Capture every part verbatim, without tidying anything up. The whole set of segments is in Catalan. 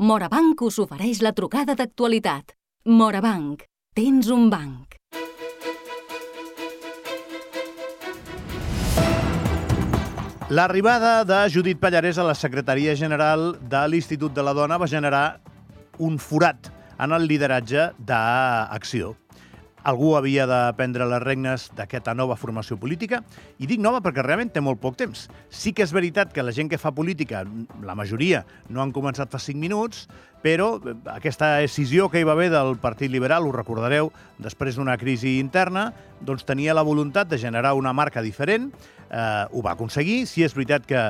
Morabanc us ofereix la trucada d'actualitat. Morabanc, tens un banc. L'arribada de Judit Pallarès a la secretaria general de l'Institut de la Dona va generar un forat en el lideratge d'Acció. Algú havia de prendre les regnes d'aquesta nova formació política, i dic nova perquè realment té molt poc temps. Sí que és veritat que la gent que fa política, la majoria, no han començat fa cinc minuts, però aquesta decisió que hi va haver del Partit Liberal, ho recordareu, després d'una crisi interna, doncs tenia la voluntat de generar una marca diferent, eh, ho va aconseguir. Sí, és veritat que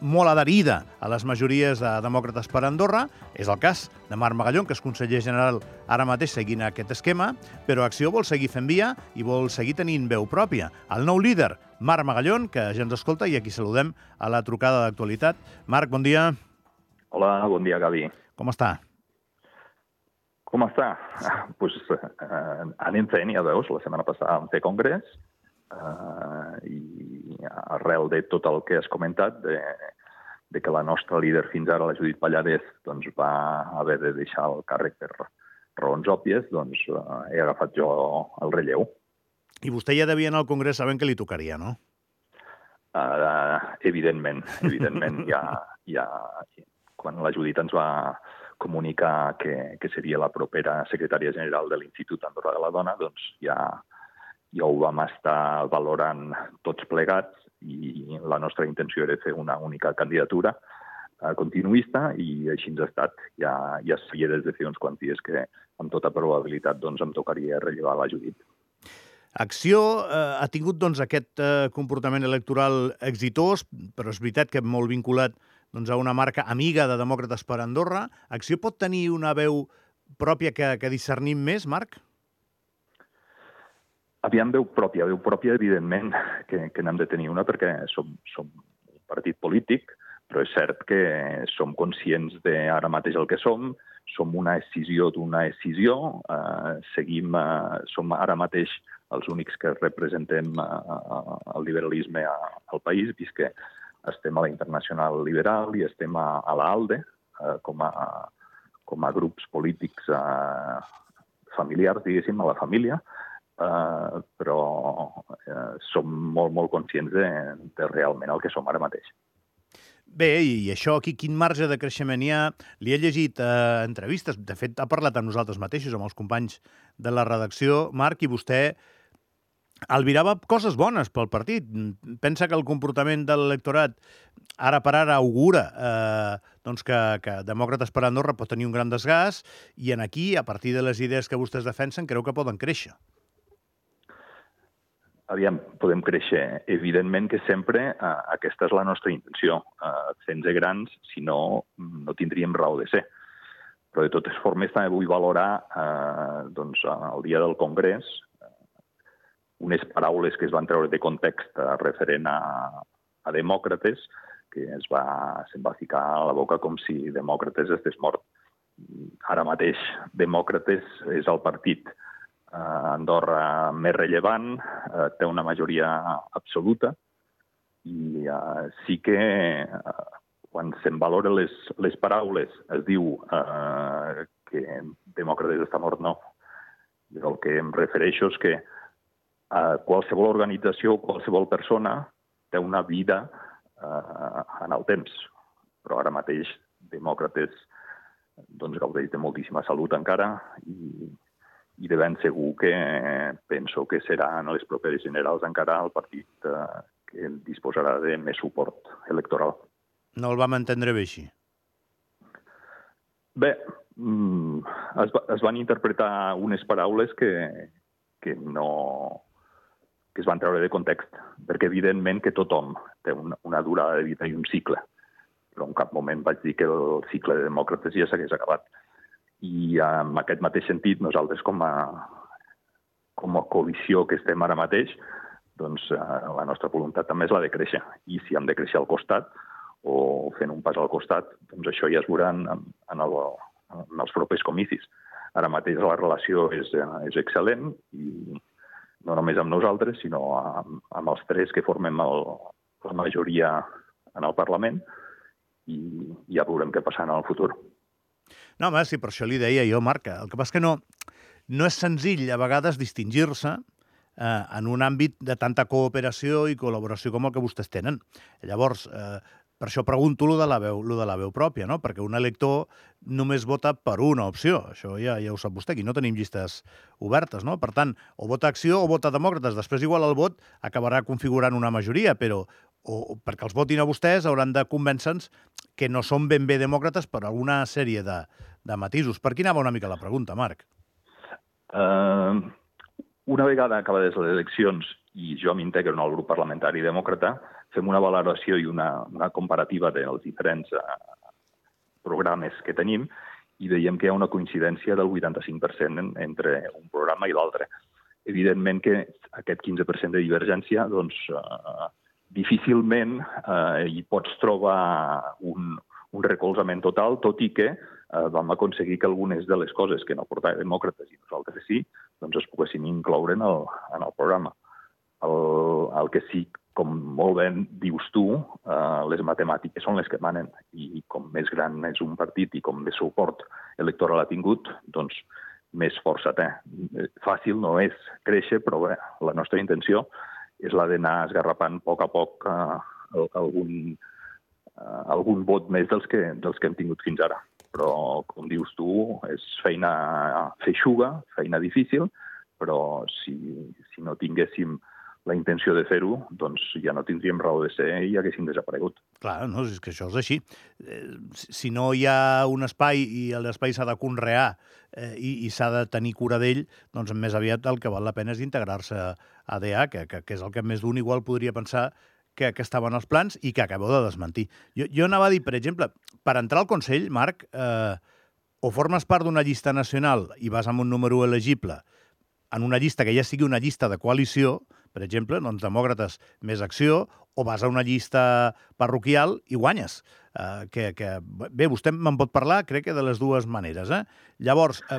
molt adherida a les majories de Demòcrates per Andorra. És el cas de Marc Magallón, que és conseller general ara mateix seguint aquest esquema, però Acció vol seguir fent via i vol seguir tenint veu pròpia. El nou líder, Marc Magallón, que ja ens escolta, i aquí saludem a la trucada d'actualitat. Marc, bon dia. Hola, bon dia, Gavi. Com està? Com està? Doncs pues, eh, anem fent, ja veus, la setmana passada vam fer congrés, Uh, i arrel de tot el que has comentat, de, de que la nostra líder fins ara, la Judit Pallarès, doncs, va haver de deixar el càrrec per raons òbvies, doncs uh, he agafat jo el relleu. I vostè ja devia anar al congrés sabent que li tocaria, no? Uh, evidentment, evidentment. ja, ja, quan la Judit ens va comunicar que, que seria la propera secretària general de l'Institut Andorra de la Dona, doncs ja... ja ho vam estar valorant tots plegats i la nostra intenció era fer una única candidatura eh, continuista i així ens ha estat. Ja, ja sabia des de fer uns quants dies que amb tota probabilitat doncs, em tocaria rellevar la Judit. Acció eh, ha tingut doncs, aquest eh, comportament electoral exitós, però és veritat que molt vinculat doncs, a una marca amiga de Demòcrates per Andorra. Acció pot tenir una veu pròpia que, que discernim més, Marc? Aviam, veu pròpia. Veu pròpia, evidentment, que, que n'hem de tenir una perquè som, som un partit polític, però és cert que som conscients de ara mateix el que som, som una escissió d'una escissió, eh, seguim, eh, som ara mateix els únics que representem eh, el liberalisme al país, vist que estem a la Internacional Liberal i estem a, a l'ALDE eh, com, a, com a grups polítics eh, familiars, diguéssim, a la família, Uh, però uh, som molt, molt conscients de, de realment el que som ara mateix. Bé, i això aquí, quin marge de creixement hi ha? Li he llegit uh, entrevistes, de fet ha parlat amb nosaltres mateixos, amb els companys de la redacció, Marc, i vostè albirava coses bones pel partit. Pensa que el comportament de l'electorat ara per ara augura eh, doncs que, que Demòcrates per Andorra pot tenir un gran desgast i en aquí, a partir de les idees que vostès defensen, creu que poden créixer. Aviam, podem créixer. Evidentment que sempre eh, aquesta és la nostra intenció. Eh, Fent-se grans, si no, no tindríem raó de ser. Però de totes formes també vull valorar eh, doncs, el dia del Congrés eh, unes paraules que es van treure de context eh, referent a, a Demòcrates, que es va, se'n va ficar a la boca com si Demòcrates estigués mort. Ara mateix Demòcrates és el partit a Andorra més rellevant, eh, té una majoria absoluta i eh, sí que eh, quan se'n valoren les, les paraules es diu eh, que Demòcrates està mort, no. El que em refereixo és que eh, qualsevol organització, qualsevol persona té una vida eh, en el temps, però ara mateix Demòcrates doncs, gaudeix de moltíssima salut encara i i de ben segur que penso que serà en les properes generals encara el partit eh, que disposarà de més suport electoral. No el vam entendre bé així? Bé, mm, es, es van interpretar unes paraules que, que, no, que es van treure de context, perquè evidentment que tothom té una, una durada de vida i un cicle, però en cap moment vaig dir que el cicle de Demòcrates ja s'hagués acabat. I en aquest mateix sentit, nosaltres com a, com a coalició que estem ara mateix, doncs la nostra voluntat també és la de créixer. I si hem de créixer al costat o fent un pas al costat, doncs això ja es veurà en, en, el, en els propers comicis. Ara mateix la relació és, és excel·lent i no només amb nosaltres, sinó amb, amb els tres que formem el, la majoria en el Parlament i ja veurem què passarà en el futur. No, home, sí, per això li deia jo, Marc. El que passa que no, no és senzill, a vegades, distingir-se eh, en un àmbit de tanta cooperació i col·laboració com el que vostès tenen. Llavors, eh, per això pregunto lo de la veu, lo de la veu pròpia, no? Perquè un elector només vota per una opció. Això ja, ja ho sap vostè, aquí no tenim llistes obertes, no? Per tant, o vota Acció o vota Demòcrates. Després, igual, el vot acabarà configurant una majoria, però o perquè els votin a vostès hauran de convèncer-nos que no són ben bé demòcrates per alguna sèrie de, de matisos. Per qui anava una mica la pregunta, Marc? Uh, una vegada acabades les eleccions i jo m'integro en el grup parlamentari demòcrata, fem una valoració i una, una comparativa dels diferents uh, programes que tenim i veiem que hi ha una coincidència del vuitanta-cinc per cent en, entre un programa i l'altre. Evidentment que aquest quinze per cent de divergència, doncs, uh, difícilment uh, hi pots trobar un, un recolzament total, tot i que uh, vam aconseguir que algunes de les coses que no portava demòcrates i nosaltres sí, doncs es poguessin incloure en el, en el programa. El, el que sí, com molt bé dius tu, eh, les matemàtiques són les que manen i com més gran és un partit i com més suport electoral ha tingut, doncs més força té. Fàcil no és créixer, però bé, la nostra intenció és la d'anar esgarrapant a poc a poc eh, algun, eh, algun vot més dels que, dels que hem tingut fins ara. Però, com dius tu, és feina feixuga, feina difícil, però si, si no tinguéssim la intenció de fer-ho, doncs ja no tindríem raó de ser i haguéssim desaparegut. Clar, no, és que això és així. Eh, si no hi ha un espai i l'espai s'ha de conrear eh, i, i s'ha de tenir cura d'ell, doncs més aviat el que val la pena és integrar-se a D A, que, que, que és el que més d'un igual podria pensar que, que estaven els plans i que acabeu de desmentir. Jo, jo anava a dir, per exemple, per entrar al Consell, Marc, eh, o formes part d'una llista nacional i vas amb un número elegible en una llista que ja sigui una llista de coalició, per exemple, doncs demòcrates més Acció, o vas a una llista parroquial i guanyes. Eh, que, que, bé, vostè me'n pot parlar, crec que de les dues maneres. Eh? Llavors, eh,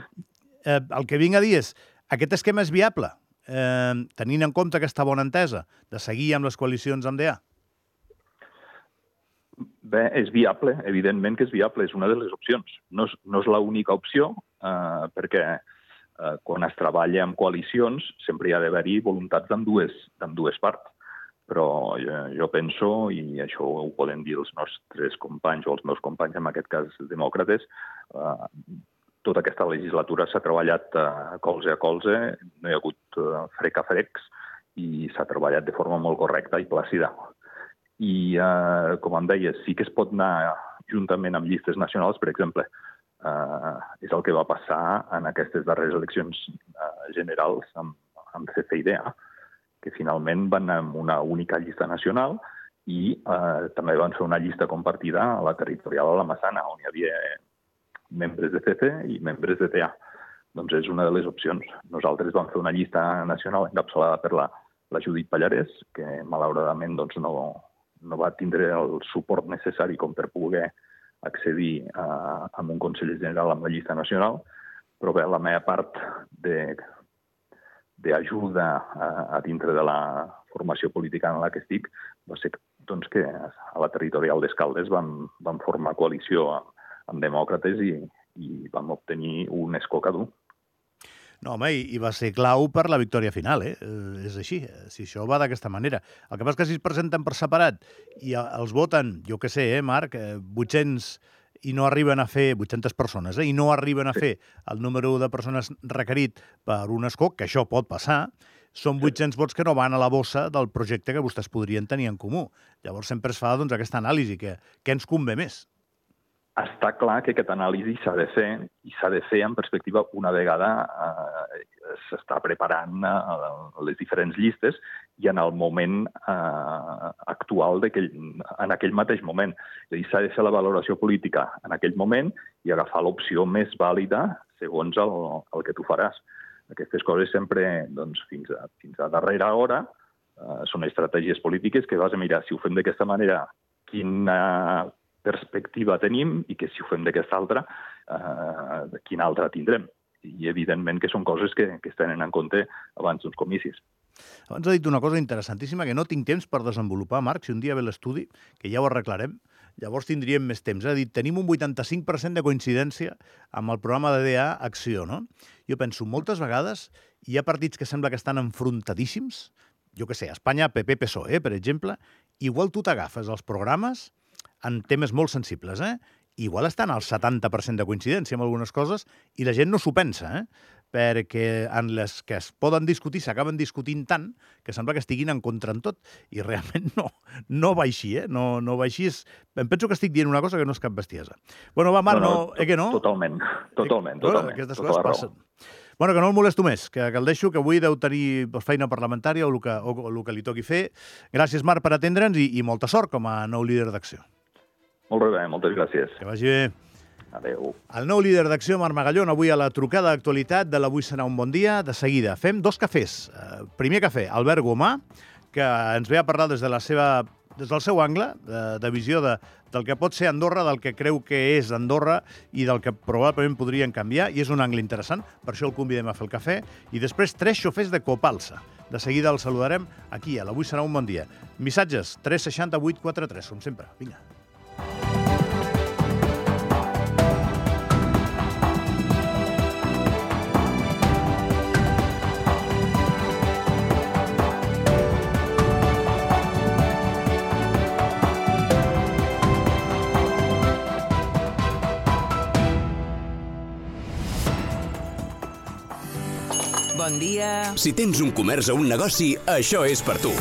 eh, el que vinc a dir és, aquest esquema és viable, eh, tenint en compte aquesta bona entesa de seguir amb les coalicions amb D A? Bé, és viable, evidentment que és viable, és una de les opcions. No és, no és l'única opció, eh, perquè eh, quan es treballa amb coalicions sempre hi ha d'haver-hi voluntats d'ambdues, d'ambdues parts. Però jo, jo penso, i això ho poden dir els nostres companys o els meus companys, en aquest cas demòcrates, eh, tota aquesta legislatura s'ha treballat eh, colze a colze, no hi ha hagut eh, frec a frecs i s'ha treballat de forma molt correcta i plàcida. I, eh, com em deies, sí que es pot anar juntament amb llistes nacionals, per exemple, eh, és el que va passar en aquestes darreres eleccions eh, generals amb, amb C C i D A, que finalment van anar amb una única llista nacional i eh, també van fer una llista compartida a la territorial a la Massana, on hi havia membres de C C i membres de D A. Doncs és una de les opcions. Nosaltres vam fer una llista nacional encapçalada per la, la Judit Pallarès, que malauradament doncs, no, no va tindre el suport necessari com per poder accedir a, a un Consell General amb la llista nacional, però bé, la meva part de d'ajuda a, a dintre de la formació política en la que estic va ser doncs, que a la territorial d'Escaldes vam, vam formar coalició amb, amb demòcrates i, i vam obtenir un escó cada un. No, home, i, i va ser clau per la victòria final, eh? eh? És així, si això va d'aquesta manera. El que passa és que si es presenten per separat i els voten, jo què sé, eh, Marc, eh, vuit-cents i no arriben a fer, vuit-centes persones, eh, i no arriben a fer el número de persones requerit per un escó, que això pot passar, són vuit-cents vots que no van a la bossa del projecte que vostès podrien tenir en comú. Llavors sempre es fa doncs, aquesta anàlisi, que què ens convé més? Està clar que aquesta anàlisi s'ha de fer, i s'ha de fer en perspectiva una vegada eh, s'està preparant eh, les diferents llistes i en el moment eh, actual, en aquell mateix moment. És a dir, s'ha de fer la valoració política en aquell moment i agafar l'opció més vàlida segons el, el que tu faràs. Aquestes coses sempre, doncs, fins a, fins a darrera hora, eh, són estratègies polítiques que vas a mirar si ho fem d'aquesta manera, quina perspectiva tenim i que si ho fem d'aquesta altra, eh, quina altra tindrem. I evidentment que són coses que, que es tenen en compte abans d'uns comicis. Abans ha dit una cosa interessantíssima que no tinc temps per desenvolupar, Marc, si un dia ve l'estudi, que ja ho arreglarem, llavors tindríem més temps. És a dir, tenim un vuitanta-cinc per cent de coincidència amb el programa de D A Acció, no? Jo penso, moltes vegades hi ha partits que sembla que estan enfrontadíssims, jo què sé, Espanya, P P, P S O E, per exemple, igual tu t'agafes els programes en temes molt sensibles, eh? Igual estan al setanta per cent de coincidència amb algunes coses i la gent no s'ho pensa, eh? Perquè en les que es poden discutir s'acaben discutint tant que sembla que estiguin en contra en tot. I realment no, no va així, eh? No, no va així. Em penso que estic dient una cosa que no és cap bestiesa. Bueno, va, Marc, no, no, eh que no? Totalment, totalment, eh, totalment. Aquestes coses passen. Bueno, que no el molesto més, que, que el deixo, que avui deu tenir feina parlamentària o el que, o, o el que li toqui fer. Gràcies, Marc, per atendre'ns i, i molta sort com a nou líder d'Acció. Molt bé, moltes gràcies. Que vagi bé. Adéu. El nou líder d'Acció, Marc Magallón, avui a la trucada d'actualitat de l'Avui serà un bon dia. De seguida fem dos cafès. Uh, primer cafè, Albert Gomà, que ens ve a parlar des de la seva, des del seu angle, de, de visió de, del que pot ser Andorra, del que creu que és Andorra i del que probablement podrien canviar, i és un angle interessant, per això el convidem a fer el cafè. I després tres xofers de Copalsa. De seguida el saludarem aquí, a l'Avui serà un bon dia. Missatges, tres sis vuit quatre tres, com sempre. Vinga. Bon dia. Si tens un comerç o un negoci, això és per tu.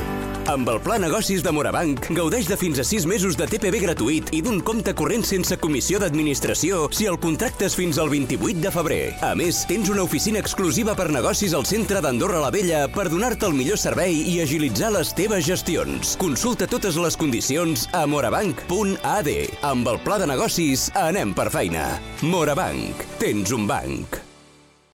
Amb el Pla Negocis de Morabanc, gaudeix de fins a sis mesos de T P V gratuït i d'un compte corrent sense comissió d'administració si el contractes fins al vint-i-vuit de febrer. A més, tens una oficina exclusiva per negocis al centre d'Andorra la Vella per donar-te el millor servei i agilitzar les teves gestions. Consulta totes les condicions a morabanc punt a d. Amb el Pla de Negocis, anem per feina. Morabanc. Tens un banc.